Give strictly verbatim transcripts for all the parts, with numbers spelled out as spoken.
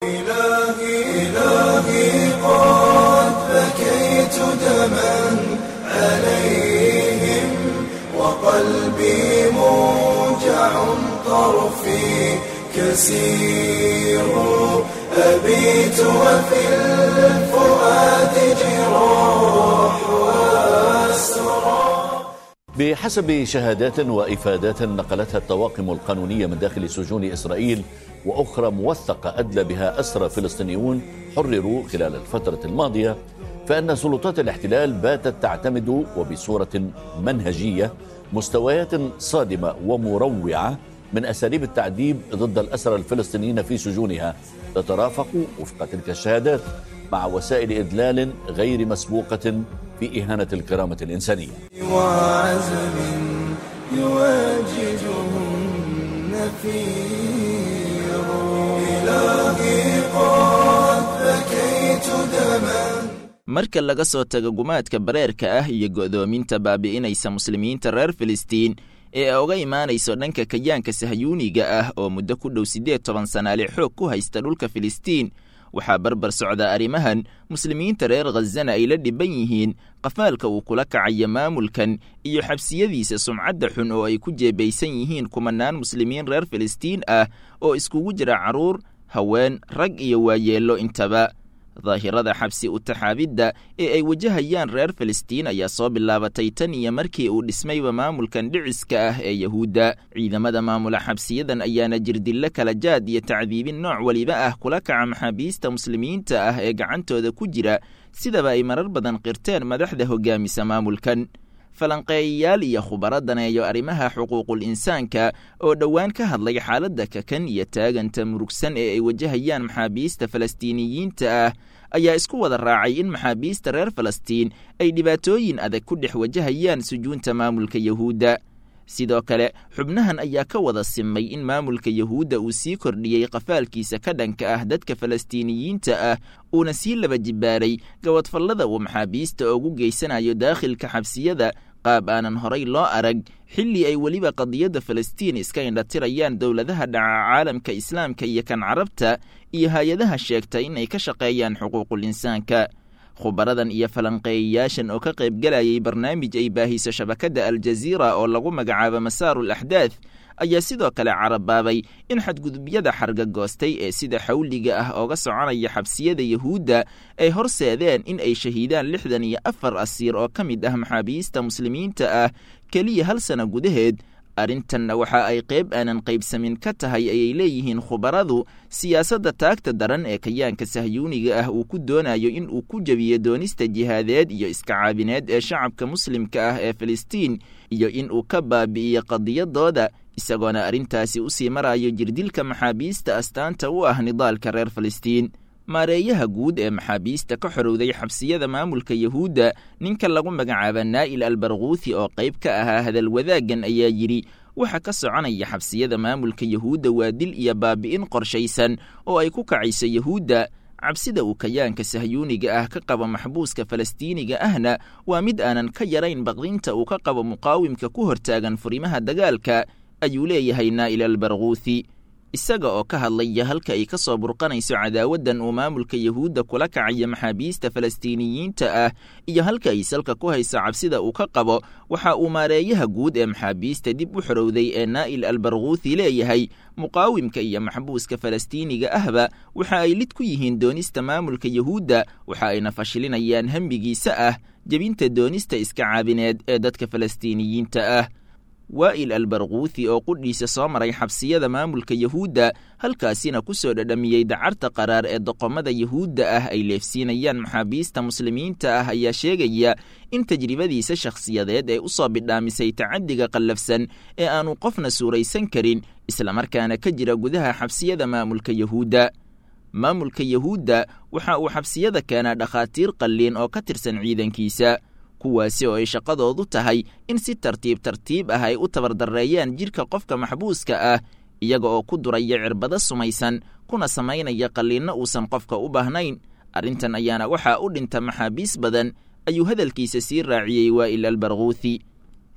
إلهي إلهي قد بكيت دما عليهم وقلبي موجع طرفي كسير أبيت وفي الفؤاد جراح وأسرى. بحسب شهادات وإفادات نقلتها الطواقم القانونية من داخل سجون إسرائيل وأخرى موثقة أدلى بها أسرى فلسطينيون حرروا خلال الفترة الماضية، فإن سلطات الاحتلال باتت تعتمد وبصورة منهجية مستويات صادمة ومروعة من أساليب التعذيب ضد الأسرى الفلسطينيين في سجونها، تترافق وفق تلك الشهادات مع وسائل إذلال غير مسبوقة في إهانة الكرامة الإنسانية. وعزم يواجههم نفير إلهي قد بكيت دما. Marka laga soo tago gumaadka bareerka ah iyo go'doominta baabi'inaysa muslimiinta reer Filistiin ee uga imaanayso dhanka kayaanka sahyuuniga ah oo muddo ku dhow siddeed toban sanaale xoog ku haysta dhulka Filistiin, waxaa barbar socda arrimahan muslimiinta reer Khazana ay la dhiban yihiin qafaalka uu kula kacayo maamulkan iyo xabsiyadiisa sumcadda xun oo ay ku jeebaysan yihiin kumanaan muslimiin reer Filistiin ah oo iskugu jira carruur, haween, rag iyo waayeello intaba. Daahirada xabsi u taxaabidda ee ay wajahayaan reer Filistiin ayaa soo bilaabatay tan iyo markii uu dhismayba maamulkan dhiciska ah ee Yahuudda. Ciidamada maamula xabsiyadan ayaana jirdillo kala jaad iyo tacdiibin nooc waliba ah kula kaca maxaabiista muslimiinta ah ee gacantooda ku jira, sidaba ay marar badan qirteen madaxda hoggaamisa maamulkan. Falanqeeyayaal iyo khubaro daneeyo arrimaha xuquuqul insaanka oo dhowaan ka hadlay xaaladda kakan iyo taaganta murugsan ee ay wajahayaan maxaabiista falastiiniyiinta ah ayaa isku wada raacay in maxaabiista reer Falastiin ay dhibaatooyin adag ku dhex wajahayaan sujuunta maamulka Yahuudda. Sidoo kale xubnahan ayaa ka wada simay in maamulka Yahuudda uu sii kordhiyey qafaalkiisa ka dhanka ah dadka falastiiniyiinta ah, uuna sii laba jibaaray gawadfallada uu maxaabiista ugu geysanayo daakhilka xabsiyada qaab aanan horay loo arag, xilli ay weliba qadiyadda Falastiin iska indhatirayaan dowladaha dhaca caalamka islaamka iyo kan carabta iyo hay-adaha sheegta in ay ka shaqeeyaan xuquuqul insaanka. Khubaradan iyo falanqeeyayaashan oo ka qaybgalayay barnaamij ay baahiso shabakadda Aljaziira oo lagu magacaabo Masaarul Axdaath ayaa sidoo kale carabaabay in xadgudubyada xargagoostay ee sida xawliga ah ooga soconaya xabsiyada Yahuudda ay horseedeen in ay shahiidaan lixdan iyo afar asiir oo ka mid ah maxaabiista muslimiinta ah keliya hal sano gudaheed. Arrintanna waxa ay qayb aanan qaybsamin ka tahay ayay leeyihiin khubaradu siyaasadda taagta daran ee kayaanka sahyuuniga ah uu ku doonayo in uu ku jebiyo doonista jihaadeed iyo iska caabineed ee shacabka muslimka ah ee Filistiin iyo in uu ka baabi'iyo qadiyadooda, isagoona arrintaasi u sii marayo jirdilka maxaabiista astaanta u ah nidaalka reer Filistiin. Maareeyaha guud ee maxaabiista ka xorowday xabsiyada maamulka Yahuudda, ninka lagu magacaaba Naa'il Albarghuuthi oo qayb ka ahaa hadal wadaaggan ayaa yidhi, waxa ka soconaya xabsiyada maamulka Yahuudda waa dil iyo baabi'in qorshaysan oo ay ku kacayso Yahuudda. Cabsida uu kayaanka sahyuuniga ah ka qabo maxbuuska falastiiniga ahna waa mid aanan ka yarayn baqdinta uu ka qabo muqaawimka ku hortaagan furimaha dagaalka, ayuu leeyahay Naa'il Albarghuuthi. Isaga oo ka hadlaya halka ay ka soo burqanayso cadaawaddan uu maamulka Yahuudda kula kacayo maxaabiista falastiiniyiinta ah iyo halka ay salka ku hayso cabsida uu ka qabo, waxa uu maareeyaha guud ee maxaabiista dib u xorowday ee Naa'il Albarghuuthi leeyahay, muqaawimka iyo maxbuuska falastiiniga ahba waxa ay lid ku yihiin doonista maamulka Yahuudda, waxa ayna fashilinayaan hamigiisa ah jebinta doonista iska caabineed ee dadka falastiiniyiinta ah. Waa'il Albarghuuthi oo qudhiisa soo maray xabsiyada maamulka Yahuudda, halkaasina ku soo dhadhamiyey dacarta qaraar ee doqomada Yahuudda ah ay leefsiinayaan maxaabiista muslimiinta ah ayaa sheegaya in tajribadiisa shakhsiyadeed ee u soo bidhaamisay tacaddiga qallafsan ee aanu qofna suuraysan karin, islamarkaana ka jira gudaha xabsiyada maamulka Yahuudda. Maamulka Yahuudda waxa uu xabsiyada keenaa dhakhaatiir qalliin oo ka tirsan ciidankiisa, kuwaasi oo ay shaqadoodu tahay in si tartiib tartiib ah ay u tabardarreeyaan jidhka qofka maxbuuska ah, iyaga oo ku duraya cirbado sumaysan kuna samaynaya qalliinno uusan qofka u baahnayn. Arrintan ayaana waxaa u dhinta maxaabiis badan, ayuu hadalkiisa sii raaciyey Waa'il Albarghuuthi.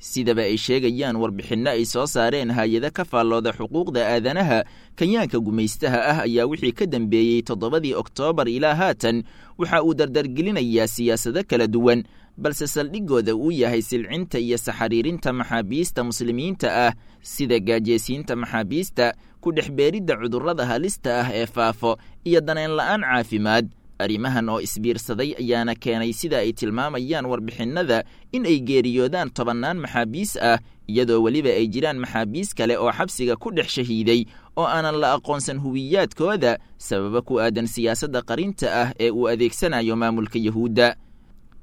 Sidaba ay sheegayaan warbixinno ay soo saareen hay-ado ka faallooda xuquuqda aadanaha, kayaanka gumaystaha ah ayaa wixii ka dambeeyey toddobadii Oktoobar ilaa haatan waxa uu dardargelinayaa siyaasado kala duwan, balse saldhigooda uu yahay silcinta iyo saxariirinta maxaabiista muslimiinta ah, sida gaajeysiinta maxaabiista, ku dhex beeridda cudurrada halista ah ee faafo iyo daneen la'aan caafimaad. Arrimahan oo isbiirsaday ayaana keenay, sida ay tilmaamayaan warbixinnada, in ay geeriyoodaan tobannaan maxaabiis ah, iyadoo weliba ay jiraan maxaabiis kale oo xabsiga ku dhex shahiiday oo aanan la aqoonsan huwiyaadkooda, sababo ku aadan siyaasadda qarinta ah ee uu adeegsanayo maamulka Yahuudda.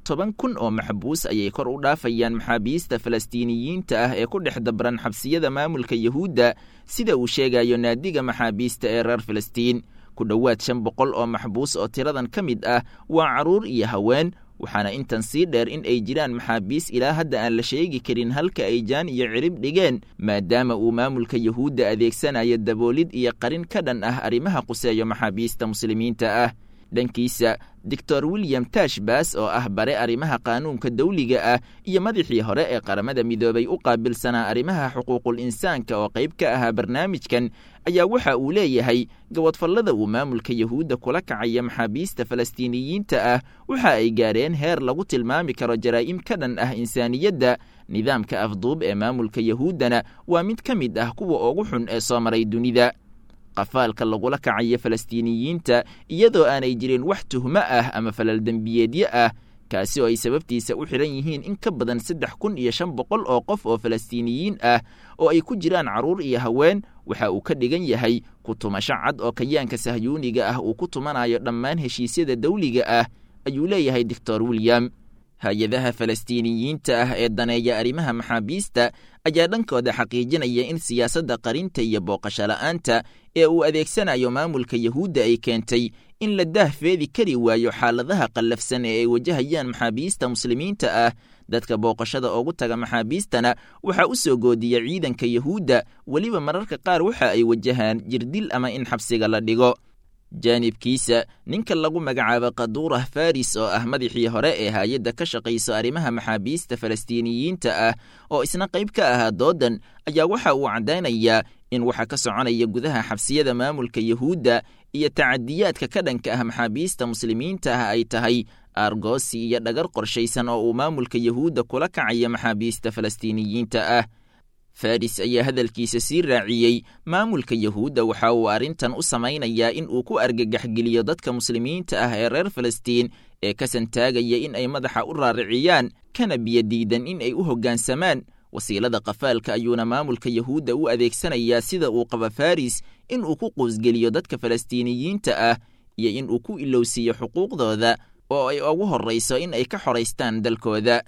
Toban kun oo maxbuus ayay kor u dhaafayaan maxaabiista Falastiiniyiinta ah ee ku dhex dabran xabsiyada maamulka Yahuudda, sida uu sheegayo naadiga maxaabiista ee reer Filistiin. Ku dhowaad shan boqol oo maxbuus oo tiradan ka mid ah waa carruur iyo haween, waxaana intan sii dheer in ay jiraan maxaabiis ilaa hadda aan la sheegi karin halka ay jaan iyo cirib dhigeen, maadaama uu maamulka Yahuudda adeegsanayo daboolid iyo qarin ka dhan ah arrimaha quseeyo maxaabiista muslimiinta ah. Dhankiisa, Doctor William Tashbas oo ah bare arrimaha qaanuunka dawliga ah iyo madaxii hore ee Qaramada Midoobay u qaabilsanaa arrimaha xuquuqul insaanka oo qayb ka ahaa barnaamijkan, ayaa waxa uu leeyahay gabodfallada uu maamulka Yahuudda kula kacaya maxaabiista Falastiiniyiinta ah waxa ay gaareen heer lagu tilmaami karo jaraa'im ka dhan ah insaaniyadda. Nidaamka afduub ee maamulka Yahuuddana waa mid ka mid ah kuwa ugu xun ee soo maray dunida. Qafaalka lagula kacayo Falastiiniyiinta iyadoo aanay jirin wax tuhmo ah ama falal dembiyeedyo ah, kaasi oo ay sababtiisa u xidhan yihiin in ka badan saddex kun iyo shan boqol oo qof oo Falastiiniyiin ah oo ay ku jiraan carruur iyo haween, waxa uu ka dhigan yahay ku tumasho cad oo kayaanka sahyuuniga ah uu ku tumanayo dhammaan heshiisyada dawliga ah, ayuu leeyahay Doctor William. Hay-adaha Falastiiniyiinta ah ee daneeya arrimaha maxaabiista ayaa dhankooda xaqiijinaya in siyaasadda qarinta iyo booqasho la'aanta ee uu adeegsanayo maamulka Yahuudda ay keentay in la daahfeedi kari waayo xaaladaha qallafsan ee ay wajahayaan maxaabiista muslimiinta ah. Dadka booqashada ugu taga maxaabiistana waxaa u soo goodiya ciidanka Yahuudda, weliba mararka qaar waxa ay wajahaan jirdil ama in xabsiga la dhigo. Jaanibkiisa, ninka lagu magacaabo Kaduurah Faris oo ah madaxii hore ee hay-adda ka shaqayso arrimaha maxaabiista Falastiiniyiinta ah oo isna qayb ka ahaa doodan, ayaa waxa uu caddaynayaa in waxa ka soconaya gudaha xabsiyada maamulka Yahuudda iyo tacadiyaadka ka dhanka ah maxaabiista muslimiinta ah ay tahay aargoosi iyo dhagar qorshaysan oo uu maamulka Yahuudda kula kacaya maxaabiista Falastiiniyiinta ah. Faris ayaa hadalkiisa sii raaciyey, maamulka Yahuudda waxa uu arrintan u samaynayaa in uu ku argagaxgeliyo dadka muslimiinta ah ee reer Falastiin ee ka santaagaya in ay madaxa u raariciyaan, kana biyodiidan in ay u hoggaansamaan. Wasiilada qafaalka ayuuna maamulka Yahuudda u adeegsanayaa, sida uu qaba Faris, in uu ku quusgeliyo dadka Falastiiniyiinta ah iyo in uu ku ilowsiiyo xuquuqdooda oo ay ugu horrayso in ay ka xoraystaan dalkooda.